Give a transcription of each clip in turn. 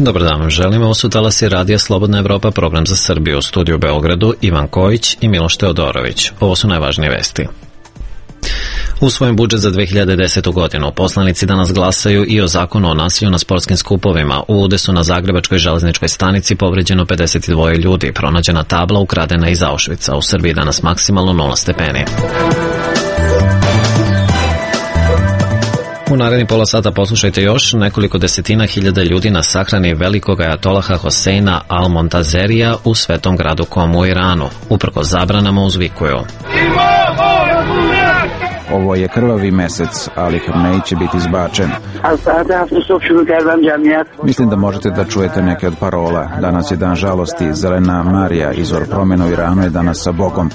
Dobar dan vam želimo, ovo su talasi Radija Slobodna Evropa, program za Srbiju, u studiju u Beogradu, Ivan Kojić i Miloš Teodorović. Ovo su najvažnije vesti. Usvojen budžet za 2010. godinu. Poslanici danas glasaju i o zakonu o nasilju na sportskim skupovima. U udesu na Zagrebačkoj železničkoj stanici povređeno 52 ljudi. Pronađena tabla ukradena iz Auschwitza. U Srbiji danas maksimalno 0 stepeni. U naredni pola sata poslušajte još nekoliko desetina hiljada ljudi na sahrani velikog ajatolaha Hoseina Al-Montazerija u svetom gradu Komu u Iranu. Uprkos zabranama uzvikuju: ovo je krvavi mesec, Ali Khamenei će biti izbačen. Mislim da možete da čujete neke od parola. Danas je dan žalosti, zelena Marija, izvor promjena u Iranu je danas sa Bogom.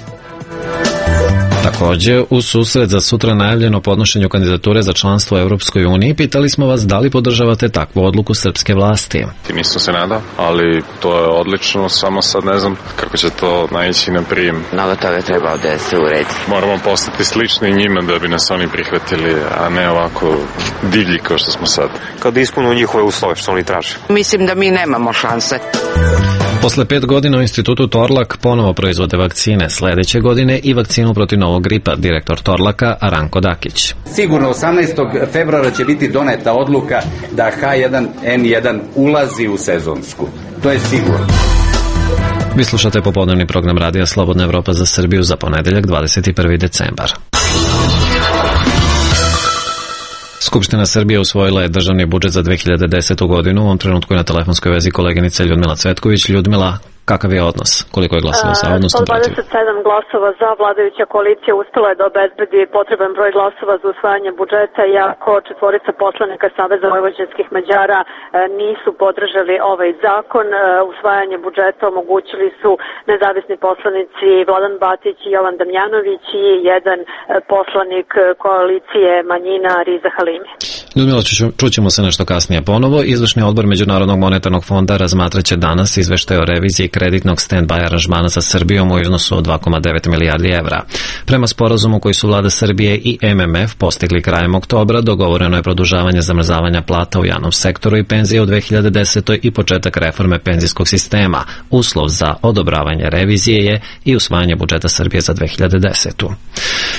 Također, u susret za sutra najavljeno podnošenju kandidature za članstvo u Europskoj uniji, pitali smo vas da li podržavate takvu odluku srpske vlasti. Nisam se nadao, ali to je odlično, samo sad ne znam kako će to naići na prijem. Mnogo toga treba da se uredi. Moramo postati slični njima da bi nas oni prihvatili, a ne ovako divlji kao što smo sad. Kad ispunu njihove uslove što oni traže. Mislim da mi nemamo šanse. Posle 5 godina u institutu Torlak ponovo proizvode vakcine. Sledeće godine i vakcinu protiv novog gripa, direktor Torlaka Ranko Dakić. Sigurno 18. februara će biti doneta odluka da H1N1 ulazi u sezonsku. To je sigurno. Vi slušate popodnevni program Radija Slobodna Evropa za Srbiju za ponedeljak 21. decembar. Skupština Srbije usvojila je državni budžet za 2010. godinu. U ovom trenutku je na telefonskoj vezi koleginica Ljudmila Cvetković. Ljudmila, kakav je odnos? Koliko je glasova za, odnosno protiv? 127 glasova za. Vladajuća koalicija uspela je da obezbedi potreban broj glasova za usvajanje budžeta, iako četvorica poslanika Saveza vojvođanskih Mađara nisu podržali ovaj zakon. Usvajanje budžeta omogućili su nezavisni poslanici Vladan Batić i Jovan Damjanović i jedan poslanik koalicije manjina Riza Halimi. Ljudmila, čućemo se nešto kasnije ponovo. Izvršni odbor Međunarodnog monetarnog fonda razmatraće danas izveštaj o reviziji kreditnog stand-by aranžmana sa Srbijom u iznosu od 2,9 milijardi evra. Prema sporazumu koji su vlada Srbije i MMF postigli krajem oktobra, dogovoreno je produžavanje zamrzavanja plata u javnom sektoru i penzije u 2010. i početak reforme penzijskog sistema. Uslov za odobravanje revizije je i usvajanje budžeta Srbije za 2010.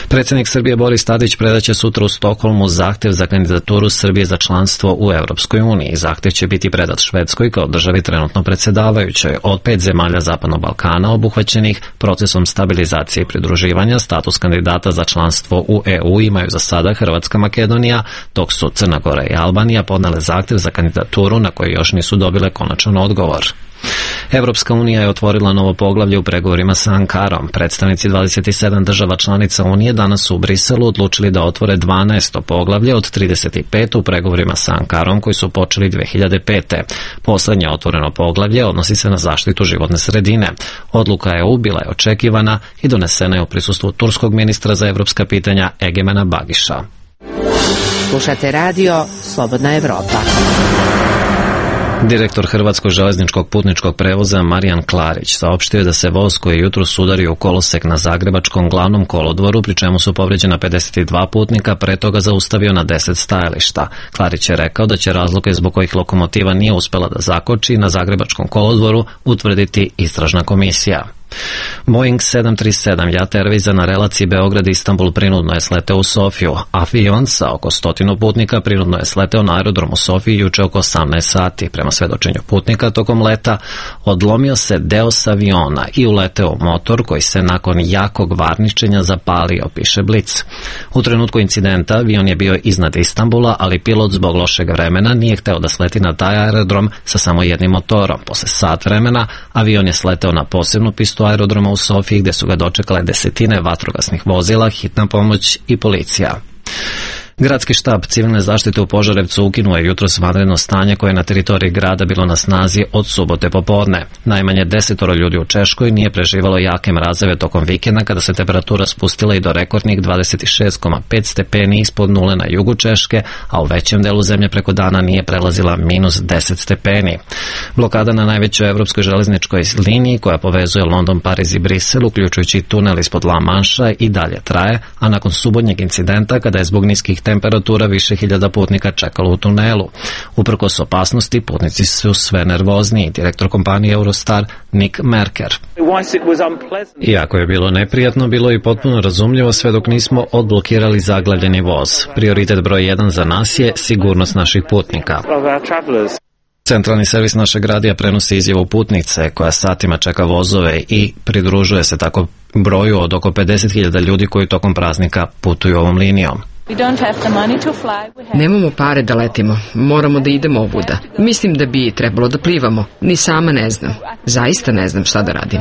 Predsjednik Srbije Boris Tadić predaće sutra u Stokholmu zahtev za kandidaturu Srbije za članstvo u Europskoj uniji. Zahtev će biti predat Švedskoj kao državi trenutno predsjedavajućoj. Od 5 zemalja Zapadnog Balkana obuhvaćenih procesom stabilizacije i pridruživanja, status kandidata za članstvo u EU imaju za sada Hrvatska, Makedonija, dok su Crna Gora i Albanija podnele zahtev za kandidaturu na koji još nisu dobile konačan odgovor. Evropska unija je otvorila novo poglavlje u pregovorima sa Ankarom. Predstavnici 27 država članica Unije danas su u Briselu odlučili da otvore 12. poglavlje od 35 u pregovorima sa Ankarom koji su počeli 2005. Poslednje otvoreno poglavlje odnosi se na zaštitu životne sredine. Odluka EU bila je očekivana i donesena je u prisustvu turskog ministra za evropska pitanja Egemena Bagiša. Slušate radio Slobodna Evropa. Direktor Hrvatskog železničkog putničkog prevoza Marijan Klarić saopštio je da se voz koji je jutros udario u kolosek na Zagrebačkom glavnom kolodvoru, pri čemu su povređena 52 putnika, pre toga zaustavio na 10 stajališta. Klarić je rekao da će razloge zbog kojih lokomotiva nije uspela da zakoči na Zagrebačkom kolodvoru utvrditi istražna komisija. Boeing 737 Jet Airwaysa na relaciji Beograd-Istanbul prinudno je sleteo u Sofiju. Avion sa oko 100 putnika prinudno je sleteo na aerodrom u Sofiji juče oko 18 sati. Prema svedočenju putnika, tokom leta odlomio se deo s aviona i uleteo u motor koji se nakon jakog varničenja zapalio, piše Blic. U trenutku incidenta avion je bio iznad Istanbula, ali pilot zbog lošeg vremena nije hteo da sleti na taj aerodrom sa samo jednim motorom. Posle sat vremena avion je sleteo na posebnu pistu aerodroma u Sofiji gde su ga dočekale desetine vatrogasnih vozila, hitna pomoć i policija. Gradski štab civilne zaštite u Požarevcu ukinuo je jutros vanredno stanje koje je na teritoriji grada bilo na snazi od subote popodne. Najmanje 10 ljudi u Češkoj nije preživalo jake mrazeve tokom vikenda kada se temperatura spustila i do rekordnih 26,5 stepeni ispod nule na jugu Češke, a u većem delu zemlje preko dana nije prelazila minus 10 stepeni. Blokada na najvećoj evropskoj železničkoj liniji koja povezuje London, Pariz i Brisel, uključujući tunel ispod La Manša, i dalje traje, a nakon subotnjeg incidenta kada je zbog niskih temperatura više hiljada putnika čekalo u tunelu. Uprkos opasnosti, putnici su sve nervozniji, direktor kompanije Eurostar Nick Merker. Iako je bilo neprijatno, bilo je i potpuno razumljivo sve dok nismo odblokirali zaglavljeni voz. Prioritet broj 1 za nas je sigurnost naših putnika. Centralni servis našeg radija prenosi izjavu putnice koja satima čeka vozove i pridružuje se tako broju od oko 50.000 ljudi koji tokom praznika putuju ovom linijom. Nemamo pare da letimo, moramo da idemo ovuda. Mislim da bi trebalo da plivamo, ni sama ne znam. Zaista ne znam šta da radim.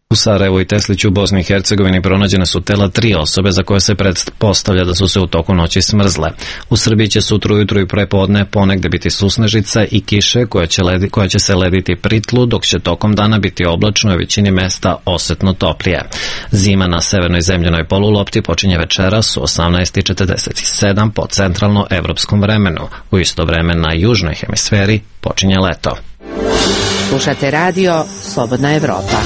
U Sarajevu i Tesliću u Bosni i Hercegovini pronađene su tela 3 osobe za koje se pretpostavlja da su se u toku noći smrzle. U Srbiji će sutra ujutru i prepodne ponegde biti susnežica i kiše koja će se lediti pri tlu, dok će tokom dana biti oblačno i u većini mesta osetno toplije. Zima na severnoj zemljanoj polulopti počinje večeras u 18:47 po centralno-evropskom vremenu. U isto vreme na južnoj hemisferi počinje leto. Slušate radio Slobodna Evropa.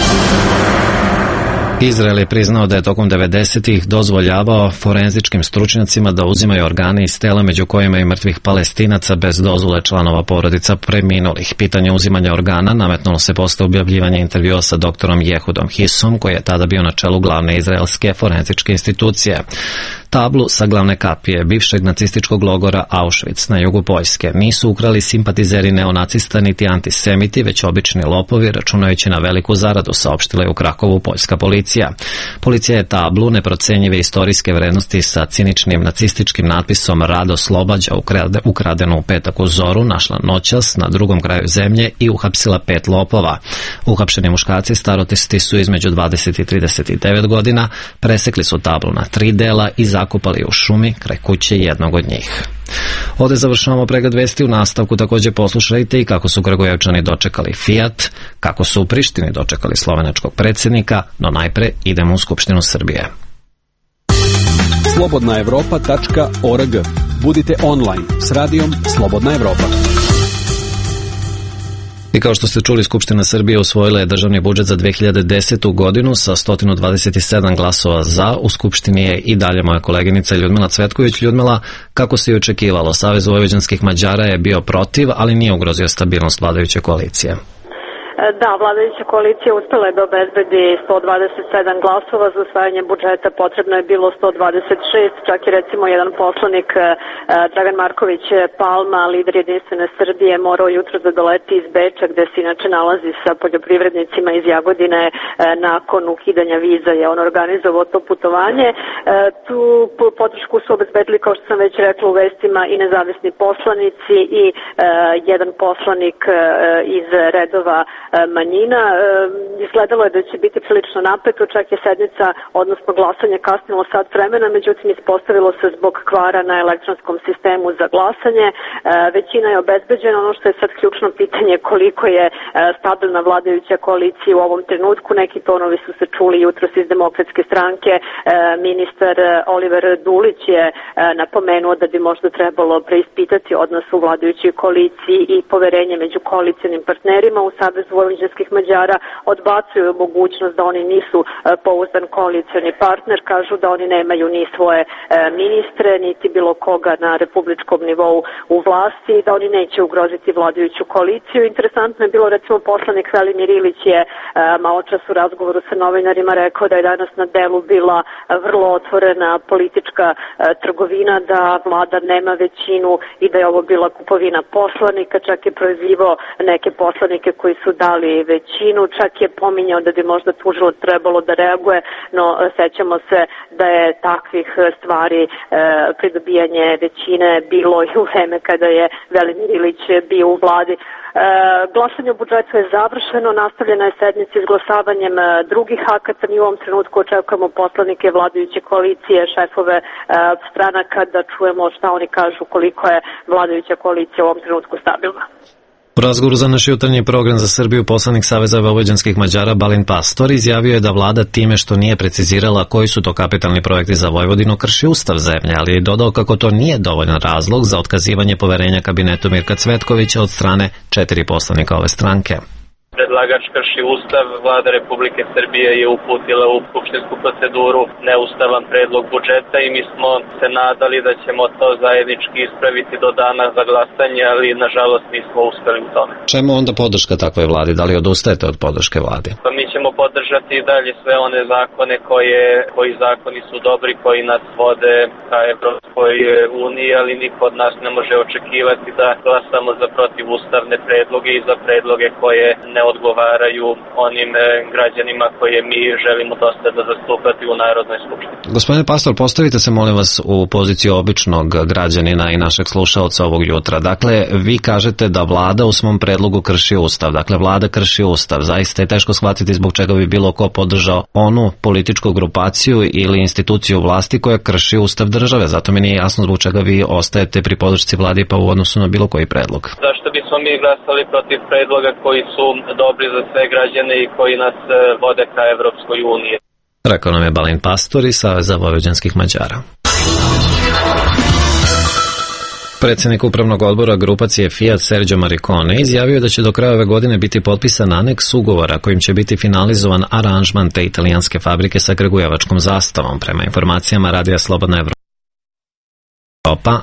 Izrael je priznao da je tokom 90-ih dozvoljavao forenzičkim stručnjacima da uzimaju organe iz tela, među kojima i mrtvih Palestinaca, bez dozvole članova porodica preminulih. Pitanje uzimanja organa nametnulo se posle objavljivanja intervjua sa doktorom Jehudom Hisom, koji je tada bio na čelu glavne izraelske forenzičke institucije. Tablu sa glavne kapije bivšeg nacističkog logora Auschwitz na jugu Poljske nisu ukrali simpatizeri neonacista niti antisemiti, već obični lopovi, računajući na veliku zaradu, saopštila je u Krakovu poljska policija. Policija je tablu neprocenjive istorijske vrednosti sa ciničnim nacističkim natpisom Rad oslobađa ukradenu u petak u Zoru našla noćas na drugom kraju zemlje i uhapsila 5 lopova. Uhapšeni muškarci starosti su između 20 i 39 godina, presekli su tablu na 3 dela i zakopali u šumi kraj kuće jednog od njih. Ovde završavamo pregled vesti. U nastavku također poslušajte i kako su Kragujevčani dočekali Fiat, kako su u Prištini dočekali slovenačkog predsjednika, no najpre idemo u Skupštinu Srbije. slobodnaevropa.org. Budite online s radijom Slobodna Evropa. I kao što ste čuli, Skupština Srbije usvojila je državni budžet za 2010. godinu sa 127 glasova za. U Skupštini je i dalje moja koleginica Ljudmila Cvetković. Ljudmila, kako se i očekivalo, Savez vojvođanskih Mađara je bio protiv, ali nije ugrozio stabilnost vladajuće koalicije. Da, vladajuća koalicija uspela je da obezbedi 127 glasova za usvajanje budžeta, potrebno je bilo 126, čak i recimo jedan poslanik, Dragan Marković Palma, lider Jedinstvene Srbije, morao jutro da doleti iz Beča, gde se inače nalazi sa poljoprivrednicima iz Jagodine nakon ukidanja viza, je on organizovao to putovanje. Tu podršku su obezbedili, kao što sam već rekla u vestima, i nezavisni poslanici i jedan poslanik iz redova manjina. Izgledalo je da će biti prilično napeto, čak je sednica, odnosno glasanje kasnilo sat vremena, međutim ispostavilo se zbog kvara na elektronskom sistemu za glasanje. Većina je obezbeđena, ono što je sad ključno pitanje koliko je stabilna vladajuća koalicija u ovom trenutku. Neki tonovi su se čuli jutros iz Demokratske stranke. Ministar Oliver Dulić je napomenuo da bi možda trebalo preispitati odnos u vladajućoj koaliciji i poverenje među koalicijanim partnerima. U Savezu vojvođanskih Mađara odbacuju mogućnost da oni nisu pouzdan koalicioni partner, kažu da oni nemaju ni svoje ministre, niti bilo koga na republičkom nivou u vlasti i da oni neće ugroziti vladajuću koaliciju. Interesantno je bilo, recimo, poslanik Velimir Ilić je maločas u razgovoru sa novinarima rekao da je danas na delu bila vrlo otvorena politička trgovina, da vlada nema većinu i da je ovo bila kupovina poslanika, čak je prozivao neke poslanike koji su dali većinu, čak je pominjao da bi možda tužilac trebalo da reaguje, no sećamo se da je takvih stvari pridobijanje većine bilo i u vreme kada je Velimir Ilić bio u vladi. Glasanje o budžetu je završeno, nastavljena je sednica izglasavanjem drugih akata. Mi u ovom trenutku očekujemo poslanike vladajuće koalicije, šefove stranaka, da čujemo šta oni kažu koliko je vladajuća koalicija u ovom trenutku stabilna. U razgovoru za naš jutarnji program za Srbiju poslanik Saveza vojvođanskih Mađara Balint Pastor izjavio je da vlada time što nije precizirala koji su to kapitalni projekti za Vojvodinu krši ustav zemlje, ali je dodao kako to nije dovoljan razlog za otkazivanje poverenja kabinetu Mirka Cvetkovića od strane 4 poslanika ove stranke. Predlagač krši ustav, vlada Republike Srbije je uputila u skupštinsku proceduru neustavan predlog budžeta i mi smo se nadali da ćemo to zajednički ispraviti do dana za glasanje, ali nažalost nismo uspeli u tome. Čemu onda podrška takvoj vladi? Da li odustajete od podrške vladi? Pa mi ćemo podržati i dalje sve one zakone koji zakoni su dobri, koji nas vode ka Evropskoj uniji, ali niko od nas ne može očekivati da glasamo za protivustavne predloge i za predloge koje ne odgovaraju onim građanima koje mi želimo dosledno zastupati u Narodnoj skupštini. Gospodine Pastor, postavite se molim vas u poziciju običnog građanina i našeg slušaoca ovog jutra. Dakle, vi kažete da vlada u svom predlogu krši ustav. Dakle, vlada krši ustav. Zaista je teško shvatiti zbog čega bi bilo ko podržao onu političku grupaciju ili instituciju vlasti koja krši ustav države. Zato mi nije jasno zbog čega vi ostajete pri podršci vladi pa u odnosu na bilo koji predlog. Zašto bismo mi glasali protiv predloga koji su dobri za sve građane i koji nas vode ka Evropskoj uniji? Rekao nam je Balint Pastor iz Saveza vojvođanskih Mađara. Predsjednik upravnog odbora grupacije Fiat Sergio Maricone izjavio da će do kraja ove godine biti potpisan aneks ugovora kojim će biti finalizovan aranžman te italijanske fabrike sa kragujevačkom zastavom. Prema informacijama Radija Slobodna Evropa,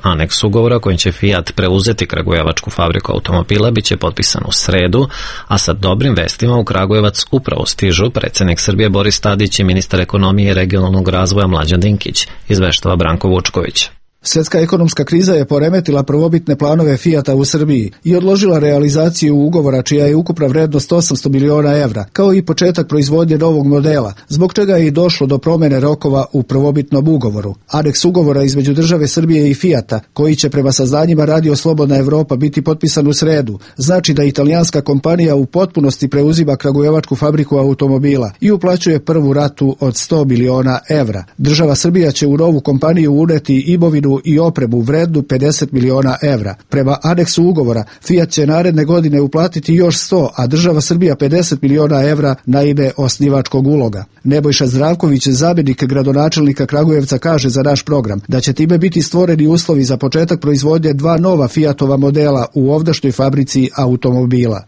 aneks ugovora kojim će Fiat preuzeti kragujevačku fabriku automobila biće potpisan u sredu, a sa dobrim vestima u Kragujevac upravo stižu predsjednik Srbije Boris Tadić i ministar ekonomije i regionalnog razvoja Mlađan Dinkić, izveštava Branko Vučković. Svjetska ekonomska kriza je poremetila prvobitne planove Fijata u Srbiji i odložila realizaciju ugovora čija je ukupna vrednost 800 miliona evra, kao i početak proizvodnje novog modela, zbog čega je i došlo do promjene rokova u prvobitnom ugovoru. Aneks ugovora između države Srbije i Fijata, koji će prema saznanjima Radio Slobodna Evropa biti potpisan u sredu, znači da italijanska kompanija u potpunosti preuzima kragujevačku fabriku automobila i uplaćuje prvu ratu od 100 miliona evra. Država Srbija će u novu kompaniju uneti imovinu i opremu vrednu 50 miliona evra. Prema aneksu ugovora, Fiat će naredne godine uplatiti još 100, a država Srbija 50 miliona evra na ime osnivačkog uloga. Nebojša Zdravković, zamjenik gradonačelnika Kragujevca, kaže za naš program da će time biti stvoreni uslovi za početak proizvodnje 2 nova Fiatova modela u ovdašnjoj fabrici automobila.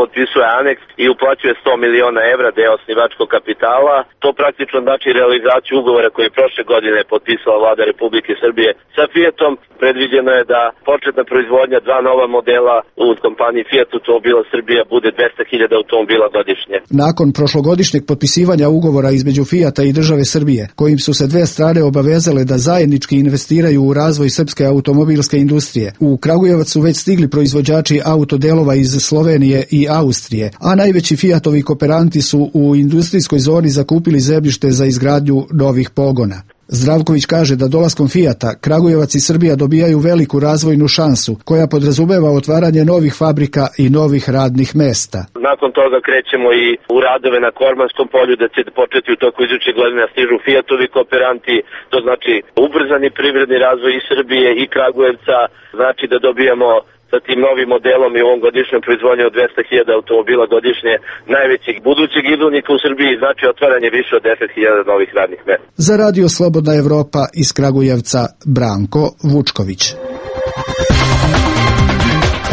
Potpisuje aneks i uplaćuje 100 miliona evra deo osnivačkog kapitala. To praktično znači realizaciju ugovora koji je prošle godine potpisala vlada Republike Srbije sa Fiatom. Predviđeno je da početna proizvodnja 2 nova modela u kompaniji Fiat Automobila Srbija bude 200.000 automobila godišnje. Nakon prošlogodišnjeg potpisivanja ugovora između Fiata i države Srbije, kojim su se dve strane obavezale da zajednički investiraju u razvoj srpske automobilske industrije, u Kragujevac su već stigli proizvođači autodelova iz Slovenije i Austrije, a najveći Fiatovi kooperanti su u industrijskoj zoni zakupili zemljište za izgradnju novih pogona. Zdravković kaže da dolaskom Fijata Kragujevac i Srbija dobijaju veliku razvojnu šansu koja podrazumeva otvaranje novih fabrika i novih radnih mesta. Nakon toga krećemo i u radove na Kormanskom polju, da će početi u toku iduće godine stižu Fijatovi kooperanti, to znači ubrzani privredni razvoj i Srbije i Kragujevca, znači da dobijamo sa tim novim modelom i ovom godišnjom proizvodnjom od 200.000 automobila godišnje najvećeg budućeg izvoznika u Srbiji, znači otvaranje više od 10.000 novih radnih mesta. Za Radio Slobodna Evropa iz Kragujevca, Branko Vučković.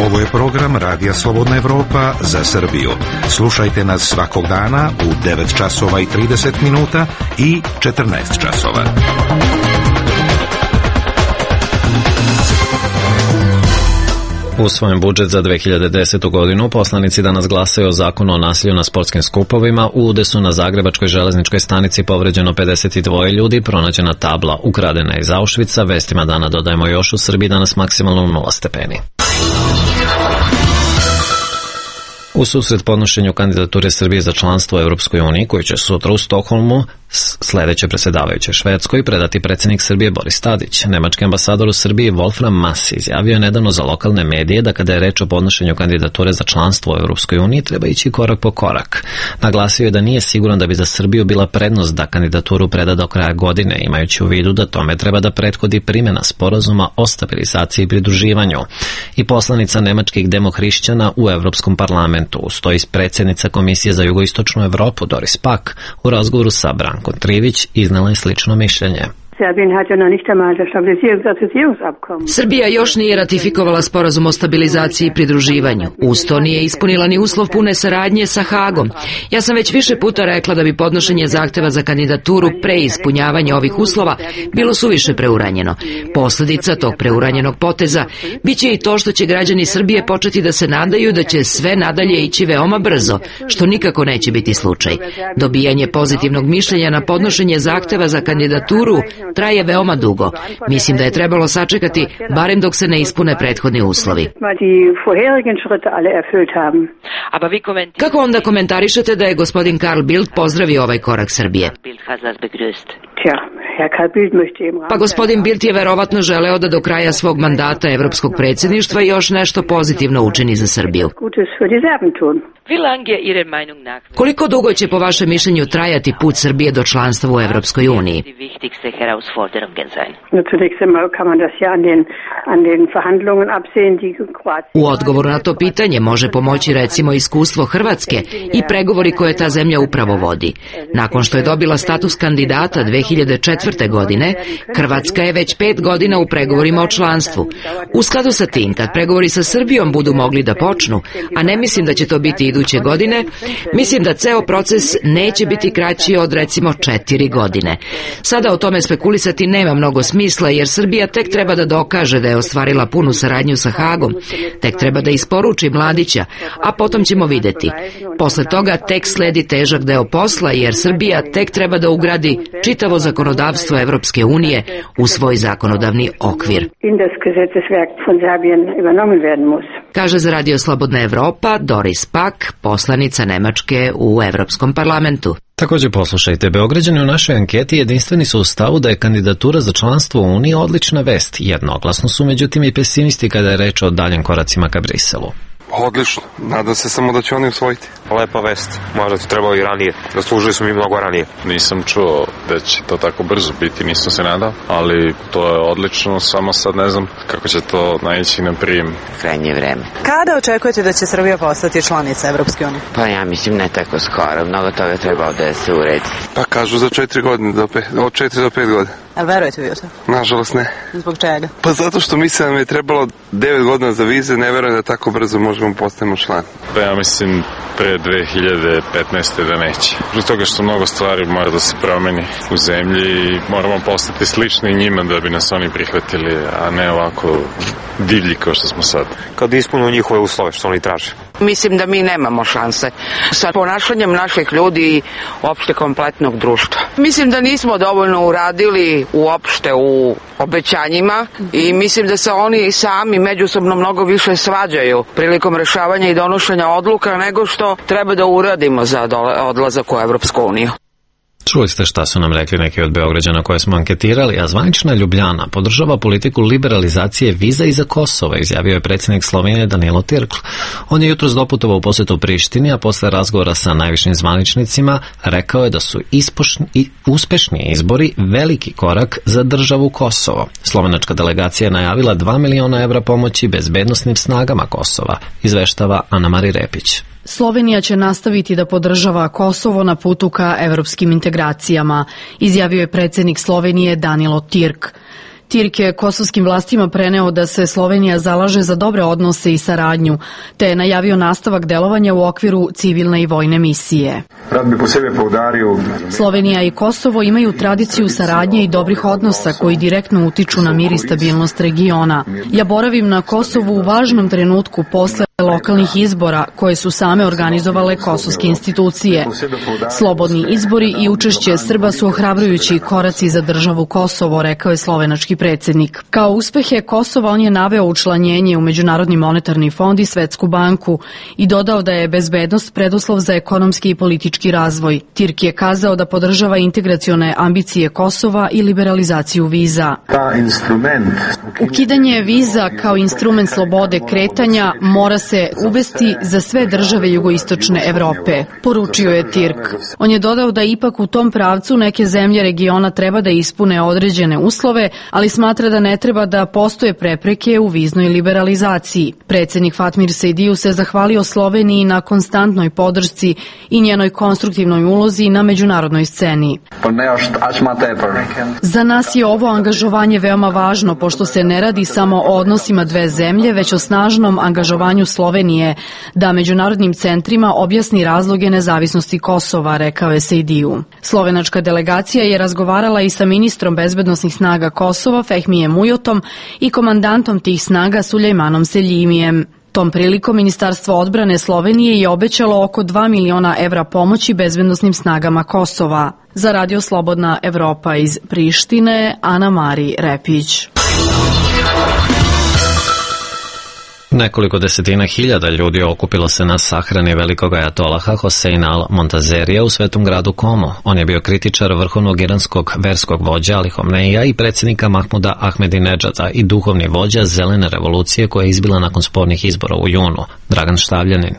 Ovo je program Radija Slobodna Evropa za Srbiju. Slušajte nas svakog dana u 9 časova i 30 minuta i 14 časova. Usvojen budžet za 2010. godinu, poslanici danas glasaju o zakonu o nasilju na sportskim skupovima. U udesu na Zagrebačkoj železničkoj stanici povređeno 52 ljudi, pronađena tabla ukradena iz Auschwitza. Vestima dana dodajemo još u Srbiji danas maksimalno 0 stepeni. U susret podnošenju kandidature Srbije za članstvo u Evropskoj uniji, koji će sutra u Stokholmu sledeće predsjedavajuće Švedskoj predati predsjednik Srbije Boris Tadić. Nemački ambasador u Srbiji Wolfram Mass izjavio je nedavno za lokalne medije da kada je reč o podnošenju kandidature za članstvo u Evropskoj uniji treba ići korak po korak. Naglasio je da nije siguran da bi za Srbiju bila prednost da kandidaturu preda do kraja godine, imajući u vidu da tome treba da prethodi primjena sporazuma o stabilizaciji i pridruživanju. I poslanica nemačkih demohrišćana u Evropskom parlamentu, stoji predsjednica Komisije za jugoistočnu Evropu Doris Pack, u razgovoru sa Brankom Trivić iznala je slično mišljenje. Srbija još nije ratifikovala sporazum o stabilizaciji i pridruživanju. Uz to nije ispunila ni uslov pune saradnje sa Hagom. Ja sam već više puta rekla da bi podnošenje zahteva za kandidaturu pre ispunjavanja ovih uslova bilo suviše preuranjeno. Posljedica tog preuranjenog poteza biće i to što će građani Srbije početi da se nadaju da će sve nadalje ići veoma brzo, što nikako neće biti slučaj. Dobijanje pozitivnog mišljenja na podnošenje zahteva za kandidaturu traje veoma dugo. Mislim da je trebalo sačekati barem dok se ne ispune prethodni uslovi. Kako onda komentarišete da je gospodin Carl Bildt pozdravio ovaj korak Srbije? Pa gospodin Bildt je verovatno želeo da do kraja svog mandata evropskog predsjedništva još nešto pozitivno učini za Srbiju. Koliko dugo će po vašem mišljenju trajati put Srbije do članstva u Evropskoj uniji? U odgovoru na to pitanje može pomoći recimo iskustvo Hrvatske i pregovori koje ta zemlja upravo vodi. Nakon što je dobila status kandidata 2004. godine, Hrvatska je već 5 godina u pregovorima o članstvu. U skladu sa tim, kad pregovori sa Srbijom budu mogli da počnu, a ne mislim da će to biti iduće godine, mislim da ceo proces neće biti kraći od recimo 4 godine. Sada o tome spekulisati nema mnogo smisla, jer Srbija tek treba da dokaže da je ostvarila punu saradnju sa Hagom, tek treba da isporuči Mladića, a potom ćemo videti. Posle toga tek sledi težak deo posla, jer Srbija tek treba da ugradi čitavo zakonodavstvo Evropske unije u svoj zakonodavni okvir. Kaže za Radio Slobodna Evropa Doris Pack, poslanica Nemačke u Evropskom parlamentu. Također poslušajte, Beograđani u našoj anketi jedinstveni su u stavu da je kandidatura za članstvo u Uniji odlična vest. Jednoglasno su međutim i pesimisti kada je reč o daljim koracima ka Briselu. Odlično, nadam se samo da će oni usvojiti. Lepa vest, možda to trebalo i ranije, zaslužili smo mi mnogo ranije. Nisam čuo da će to tako brzo biti, nisam se nadao, ali to je odlično, samo sad ne znam kako će to naići na prijem. Krajnje vreme. Kada očekujete da će Srbija postati članica Evropske unije? Pa ja mislim ne tako skoro, mnogo toga treba da se uredi. Pa kažu za 4 godine, od 4 do 5 godina. A verujete vi o to? Nažalost ne. Zbog čega? Pa zato što mislim da mi je trebalo 9 godina za vize, ne verujem da tako brzo možemo postavimo član. Pa ja mislim pre 2015. da neće. Zbog toga što mnogo stvari mora da se promeni u zemlji i moramo postati slični njima da bi nas oni prihvatili, a ne ovako divlji kao što smo sad. Kad ispunimo njihove uslove što oni traže. Mislim da mi nemamo šanse sa ponašanjem naših ljudi i uopšte kompletnog društva. Mislim da nismo dovoljno uradili uopšte u obećanjima i mislim da se oni sami međusobno mnogo više svađaju prilikom rešavanja i donošenja odluka nego što treba da uradimo za odlazak u Evropsku uniju. Čuli ste šta su nam rekli neki od Beograđana koje smo anketirali, a zvanična Ljubljana podržava politiku liberalizacije viza i za Kosovo, izjavio je predsjednik Slovenije Danilo Tirkl. On je jutros doputovao u posjetu Prištini, a posle razgovora sa najvišim zvaničnicima rekao je da su uspešni izbori veliki korak za državu Kosovo. Slovenačka delegacija je najavila 2 miliona evra pomoći bezbednosnim snagama Kosova, izveštava Ana Mari Repić. Slovenija će nastaviti da podržava Kosovo na putu ka evropskim integracijama, izjavio je predsjednik Slovenije Danilo Tirk. Tirk je kosovskim vlastima preneo da se Slovenija zalaže za dobre odnose i saradnju, te je najavio nastavak delovanja u okviru civilne i vojne misije. Slovenija i Kosovo imaju tradiciju saradnje i dobrih odnosa koji direktno utiču na mir i stabilnost regiona. Ja boravim na Kosovu u važnom trenutku posle lokalnih izbora koje su same organizovale kosovske institucije. Slobodni izbori i učešće Srba su ohrabrujući koraci za državu Kosovo, rekao je slovenački predsjednik. Kao uspehe Kosova on je naveo učlanjenje u Međunarodni monetarni fond i Svetsku banku i dodao da je bezbednost preduslov za ekonomski i politički razvoj. Tirk je kazao da podržava integracione ambicije Kosova i liberalizaciju viza. Ukidanje viza kao instrument slobode kretanja mora se uvesti za sve države jugoistočne Evrope, poručio je Tirk. On je dodao da ipak u tom pravcu neke zemlje regiona treba da ispune određene uslove, ali smatra da ne treba da postoje prepreke u viznoj liberalizaciji. Predsjednik Fatmir Sejdiju se zahvalio Sloveniji na konstantnoj podršci i njenoj konstruktivnoj ulozi na međunarodnoj sceni. Za nas je ovo angažovanje veoma važno, pošto se ne radi samo o odnosima dve zemlje, već o snažnom angažovanju Slovenije da međunarodnim centrima objasni razloge nezavisnosti Kosova, rekao je Sejdiju. Slovenačka delegacija je razgovarala i sa ministrom bezbednosnih snaga Kosova, Fehmijem Ujotom, i komandantom tih snaga Sulejmanom Seljimijem. Tom prilikom Ministarstvo odbrane Slovenije je obećalo oko 2 miliona evra pomoći bezbednosnim snagama Kosova. Za Radio Slobodna Evropa iz Prištine, Ana Mari Repić. Nekoliko desetina hiljada ljudi okupilo se na sahrani velikog ajatolaha Hoseina al-Montazerija u svetom gradu Komo. On je bio kritičar vrhovnog iranskog verskog vođa Ali Homneija i predsjednika Mahmuda Ahmedinedžada i duhovni vođa zelene revolucije koja je izbila nakon spornih izbora u junu. Dragan Štavljanin.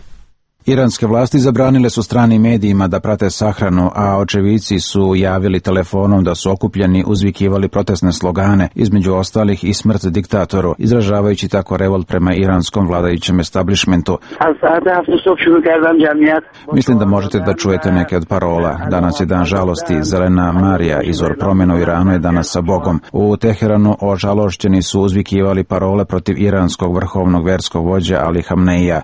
Iranske vlasti zabranile su stranim medijima da prate sahranu, a očevici su javili telefonom da su okupljeni uzvikivali protestne slogane, između ostalih i smrt diktatoru, izražavajući tako revolt prema iranskom vladajućem establishmentu. Mislim da možete da čujete neke od parola. Danas je dan žalosti, zelena Marija, izvor promjena u Iranu je danas sa Bogom. U Teheranu ožalošćeni su uzvikivali parole protiv iranskog vrhovnog verskog vođa Ali Hamneija.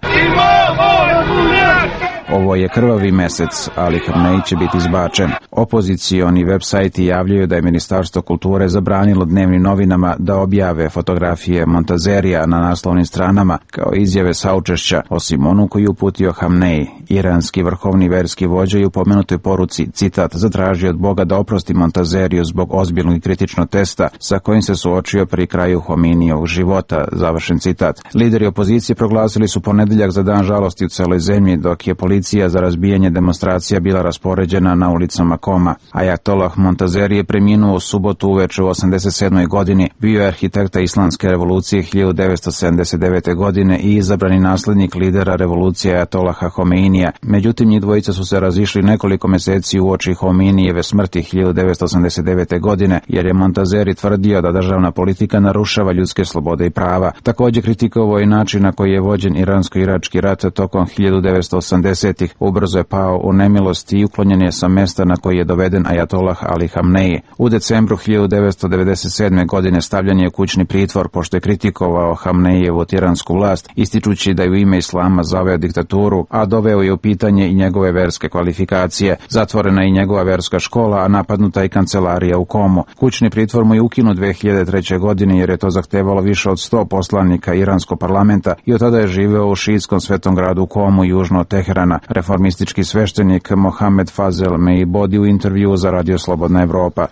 Ovo je krvavi mesec, Ali Hamnej će biti izbačen. Opozicioni web sajti javljaju da je Ministarstvo kulture zabranilo dnevnim novinama da objave fotografije Montazerija na naslovnim stranama kao izjave saučešća, osim onu koju uputio Hamnej. Iranski vrhovni verski vođa je u pomenutoj poruci, citat, zatražio od Boga da oprosti Montazeriju zbog ozbiljnog i kritičnog testa sa kojim se suočio pri kraju Hominijevog života, završen citat. Lideri opozicije proglasili su ponedeljak za dan žalosti u celoj zemlji, dok je policija za razbijanje demonstracija bila raspoređena na ulicama Koma. Ajatolah Montazeri je preminuo u subotu uveče u 87. godini, bio je arhitekta Islamske revolucije 1979. godine i izabrani naslednik lidera revolucije Ajatolaha Homeinija. Međutim, njih dvojica su se razišli nekoliko meseci uoči Homeinijeve smrti 1989. godine, jer je Montazeri tvrdio da državna politika narušava ljudske slobode i prava. Također kritikovao i način na koji je vođen iransko-irački rat tokom 1980-ih. Ubrzo je pao u nemilosti i uklonjen je sa mesta na koji je doveden ajatolah Ali Hamnej. U decembru 1997. godine stavljen je u kućni pritvor pošto je kritikovao Hamnejevu tiransku vlast, ističući da je u ime islama zaveo diktaturu, a doveo je u pitanje i njegove verske kvalifikacije. Zatvorena je i njegova verska škola, a napadnuta i kancelarija u Komu. Kućni pritvor mu je ukinut 2003. godine jer je to zahtevalo više od 100 poslanika iranskog parlamenta i od tada je živeo u šiitskom svetom gradu Komu južno od Teherana. Reformistički sveštenik Mohamed Fazel Meibodi u intervju za Radio Slobodna Evropa.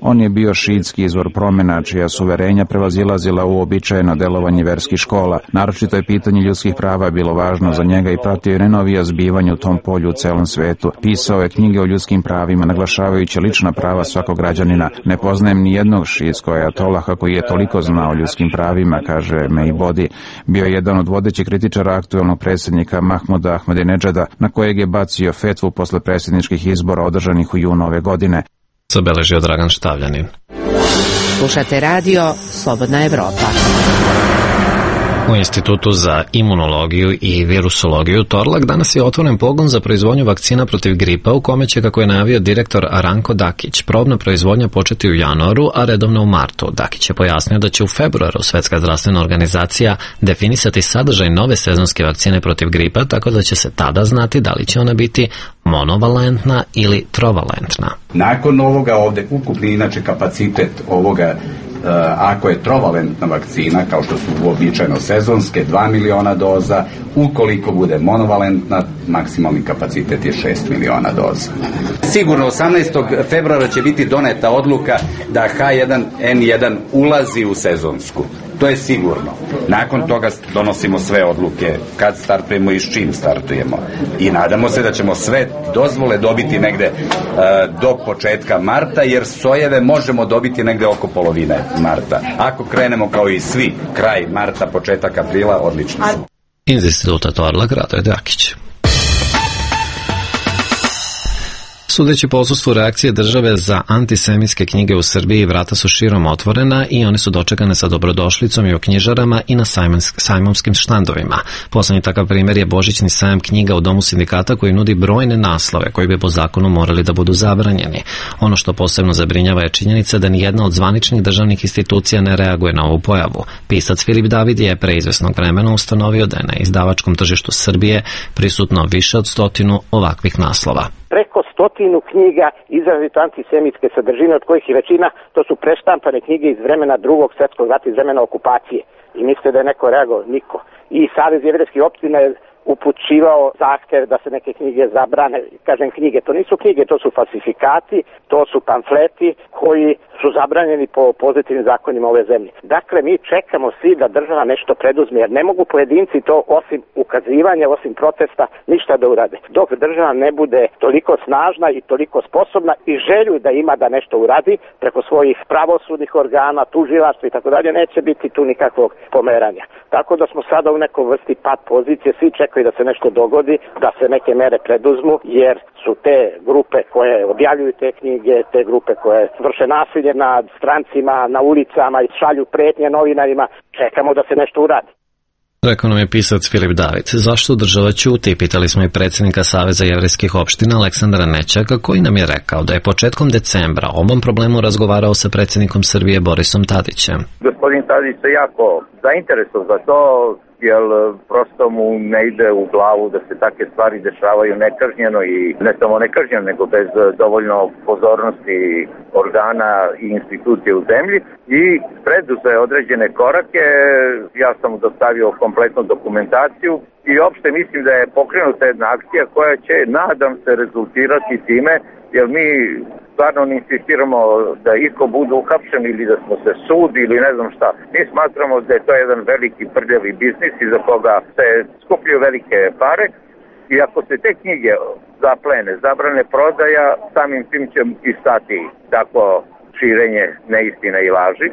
On je bio šiitski izvor promjena čija su uverenja prevazilazila u uobičajeno delovanje verskih škola. Naročito je pitanje ljudskih prava bilo važno za njega i pratio je najnovija zbivanja u tom polju u celom svetu. Pisao je knjige o ljudskim pravima, naglašavajući lična prava svakog građanina. Ne poznajem ni jednog šiitskog ajatolaha koji je toliko znao o ljudskim pravima, kaže Meibodi. Bio je jedan od vodećih kritičara aktuelnog predsjednika Mahmuda Ahmedinedžada, na kojeg je bacio fetvu posle predsjedničkih izbora održanih u junu ove godine. Zabeležio Dragan Štavljanin. Slušate radio Slobodna Evropa. U Institutu za imunologiju i virusologiju Torlak danas je otvoren pogon za proizvodnju vakcina protiv gripa u kome će, kako je najavio direktor Ranko Dakić, probna proizvodnja početi u januaru, a redovno u martu. Dakić je pojasnio da će u februaru Svetska zdravstvena organizacija definisati sadržaj nove sezonske vakcine protiv gripa, tako da će se tada znati da li će ona biti monovalentna ili trovalentna. Nakon ovoga ovde ukupni inače kapacitet ovoga ako je trovalentna vakcina, kao što su uobičajeno sezonske, 2 miliona doza, ukoliko bude monovalentna, maksimalni kapacitet je 6 miliona doza. Sigurno 18. februara će biti doneta odluka da H1N1 ulazi u sezonsku. To je sigurno. Nakon toga donosimo sve odluke kad startujemo i s čim startujemo. I nadamo se da ćemo sve dozvole dobiti negde do početka marta, jer sojeve možemo dobiti negde oko polovine marta. Ako krenemo kao i svi, kraj marta, početak aprila, odlično smo. Iz instituta Torlak, Radoje Dakić. Sudeći po odsustvu reakcije države za antisemitske knjige u Srbiji, vrata su širom otvorena i one su dočekane sa dobrodošlicom i u knjižarama i na sajmonskim štandovima. Poslednji takav primjer je božićni sajam knjiga u Domu sindikata koji nudi brojne naslove koji bi po zakonu morali da budu zabranjeni. Ono što posebno zabrinjava je činjenica da ni jedna od zvaničnih državnih institucija ne reaguje na ovu pojavu. Pisac Filip David je pre izvesnog vremena ustanovio da je na izdavačkom tržištu Srbije prisutno više od 100 ovakvih naslova. Preko 100 knjiga izrazito antisemitske sadržine, od kojih i većina to su preštampane knjige iz vremena Drugog svjetskog rata, iz vremena okupacije. I mislite da je neko reagovao? Niko. I Savez jevrejskih opština je upućivao zahtev da se neke knjige zabrane. Kažem knjige, to nisu knjige, to su falsifikati, to su pamfleti koji su zabranjeni po pozitivnim zakonima ove zemlje. Dakle, mi čekamo svi da država nešto preduzme, jer ne mogu pojedinci to osim ukazivanja, osim protesta, ništa da urade. Dok država ne bude toliko snažna i toliko sposobna i želju da ima da nešto uradi preko svojih pravosudnih organa, tužilaštva i tako dalje, neće biti tu nikakvog pomeranja. Tako da smo sada u nekoj vrsti pad pozicije, svi čekaju da se nešto dogodi, da se neke mere preduzmu, jer su te grupe koje objavljuju te knjige, te grupe koje vrše nasilje nad strancima, na ulicama i šalju pretnje novinarima, čekamo da se nešto uradi. Rekao nam je pisac Filip David. Zašto država ćuti? Pitali smo i predsjednika Saveza jevrejskih opština Aleksandra Nećaka, koji nam je rekao da je početkom decembra o ovom problemu razgovarao sa predsjednikom Srbije Borisom Tadićem. Gospodin Tadić se jako zainteresovan za to, jer prosto mu ne ide u glavu da se takve stvari dešavaju nekažnjeno i ne samo nekažnjeno, nego bez dovoljno pozornosti organa i institucije u zemlji i preduze određene korake. Ja sam mu dostavio kompletnu dokumentaciju i opšte mislim da je pokrenuta jedna akcija koja će, nadam se, rezultirati time, jer mi stvarno ne insistiramo da iko bude uhapšen ili da smo se sud ili ne znam šta. Mi smatramo da je to jedan veliki prljavi biznis iza koga se skupljaju velike pare i ako se te knjige zaplene, zabrane prodaja, samim tim će i stati tako širenje neistina i laži.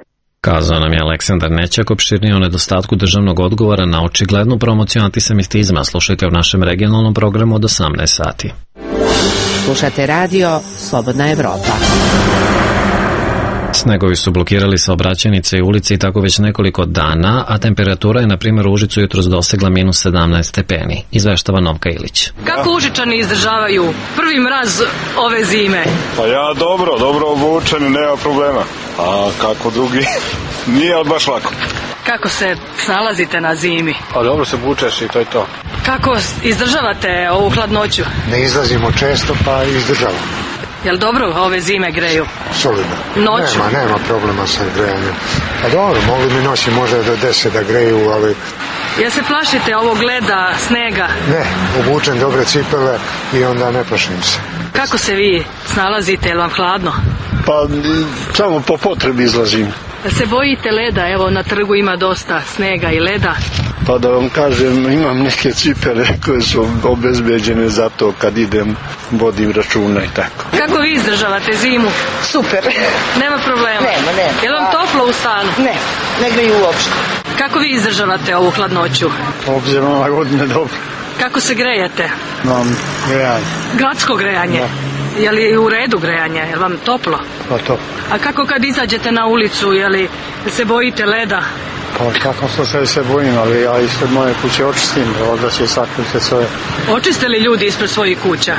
Kazao nam je Aleksandar Nećak opširnije o nedostatku državnog odgovora na očiglednu promociju antisemitizma. Slušajte u našem regionalnom programu od 18 sati. Slušate radio Slobodna Evropa. Snegovi su blokirali saobraćajnice i ulice i tako već nekoliko dana, a temperatura je na primjer u Užicu jutros dosegla minus 17 stepeni. Izveštava Novka Ilić. Kako Užičani izdržavaju prvi mraz ove zime? Pa ja dobro obučen, nema problema. A kako drugi? Nije baš lako. Kako se snalazite na zimi? Pa dobro se bučeš i to je to. Kako izdržavate ovu hladnoću? Ne izlazimo često pa izdržavamo. Jel dobro ove zime greju? Solidno. Noću? Nema problema sa grejanjem. Pa dobro, mogli mi noći možda do 10 da greju, ali... Jel se plašite ovog leda, snega? Ne, obučem dobre cipele i onda ne plašim se. Kako se vi snalazite, jel vam hladno? Pa samo po potrebi izlazim. Jel se bojite leda? Evo na trgu ima dosta snega i leda. Pa da vam kažem, imam neke cipele koje su obezbeđene za to kad idem, vodim računa i tako. Kako vi izdržavate zimu? Super. Nema problema? Nema. Je li vam toplo u stanu? Ne greju uopšte. Kako vi izdržavate ovu hladnoću? Obzirom na godine dobro. Kako se grejete? Imam grejanje. Gradsko grejanje? Da. Je li u redu grejanje? Je li vam toplo? Pa toplo. A kako kad izađete na ulicu, je li se bojite leda? Pa kako se bojim, ali ja ispred moje kuće očistim, da će sakriti sve. Očiste li ljudi ispred svojih kuća?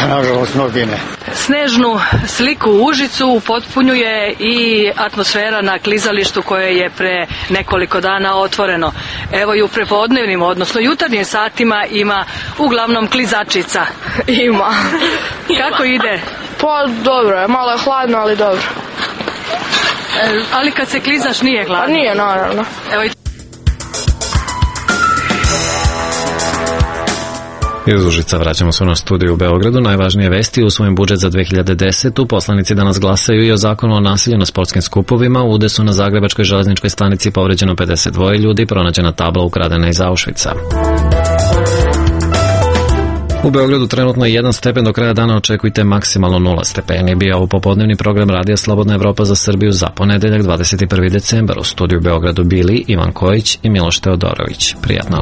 Nažalost, mnogi ne. Snežnu sliku u Užicu upotpunjuje i atmosfera na klizalištu koje je pre nekoliko dana otvoreno. Evo i u prepodnevnim, odnosno jutarnjim satima ima uglavnom klizačica. Ima. Kako ide? Pa dobro je, malo je hladno, ali dobro. Ali kad se klizaš nije gladan? Pa nije, naravno. Evo Iz Užica vraćamo se na studiju u Beogradu. Najvažnije vesti: u svojim budžet za 2010. poslanici danas glasaju i o zakonu o nasilju na sportskim skupovima. U Udesu na Zagrebačkoj železničkoj stanici povređeno 52 ljudi, pronađena tabla ukradena iz Auschwitza. U Beogradu trenutno je 1 stepen, do kraja dana očekujte maksimalno 0 stepeni. Bio ovo popodnevni program Radija Slobodna Evropa za Srbiju za ponedeljak 21. decembar. U studiju u Beogradu bili Ivan Kojić i Miloš Teodorović. Prijatno.